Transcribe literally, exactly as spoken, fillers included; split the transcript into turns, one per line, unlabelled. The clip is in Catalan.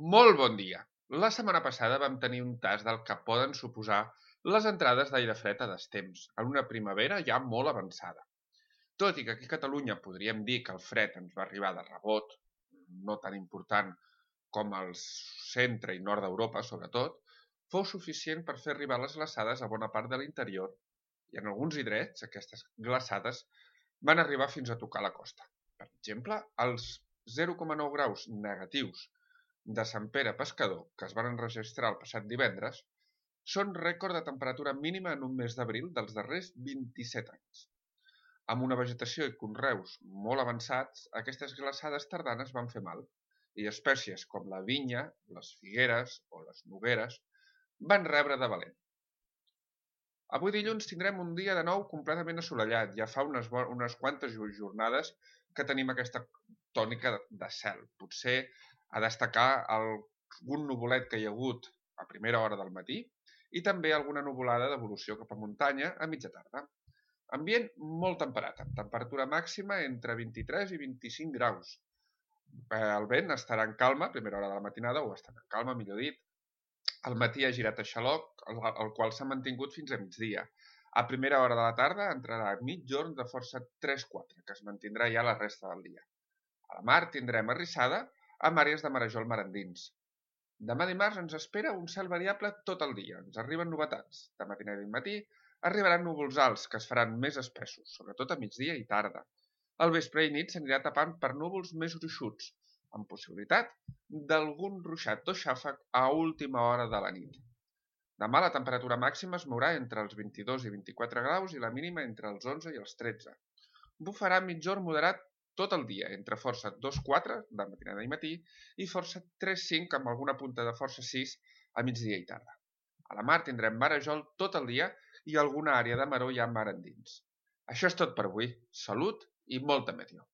Molt bon dia! La setmana passada vam tenir un tast del que poden suposar les entrades d'aire fred a destemps, en una primavera ja molt avançada. Tot i que aquí a Catalunya podríem dir que el fred ens va arribar de rebot, no tan important com al centre i nord d'Europa, sobretot, fou suficient per fer arribar les glaçades a bona part de l'interior i en alguns indrets aquestes glaçades van arribar fins a tocar la costa. Per exemple, els zero coma nou graus negatius de Sant Pere Pescador, que es van enregistrar el passat divendres, són rècord de temperatura mínima en un mes d'abril dels darrers vint-i-set anys. Amb una vegetació i conreus molt avançats, aquestes glaçades tardanes van fer mal, i espècies com la vinya, les figueres o les nogueres van rebre de valent. Avui dilluns tindrem un dia de nou completament assolellat. Ja fa unes, unes quantes jornades que tenim aquesta tònica de cel. Potser a destacar algun nuvolet que hi ha hagut a primera hora del matí i també alguna nuvolada d'evolució cap a muntanya a mitja tarda. Ambient molt temperat, amb temperatura màxima entre vint-i-tres i vint-i-cinc graus. El vent estarà en calma a primera hora de la matinada, o estarà en calma, millor dit. Al matí ha girat a xaloc, el qual s'ha mantingut fins a migdia. A primera hora de la tarda entrarà mitjorn de força tres quatre, que es mantindrà ja la resta del dia. A la mar tindrem arrissada amb àrees de marejol mar endins. Demà dimarts ens espera un cel variable tot el dia. Ens arriben novetats. De matinada i matí arribaran núvols alts que es faran més espessos, sobretot a migdia i tarda. Al vespre i nit s'anirà tapant per núvols més gruixuts, amb possibilitat d'algun ruixat o xàfec a última hora de la nit. Demà la temperatura màxima es mourà entre els vint-i-dos i vint-i-quatre graus i la mínima entre els onze i els tretze. Bufarà mitjorn moderat tot el dia, entre força dos quatre de matinada i matí i força tres cinc amb alguna punta de força sis a migdia i tarda. A la mar tindrem marejol tot el dia i alguna àrea de maror ja mar endins. Això és tot per avui. Salut i molta meteor.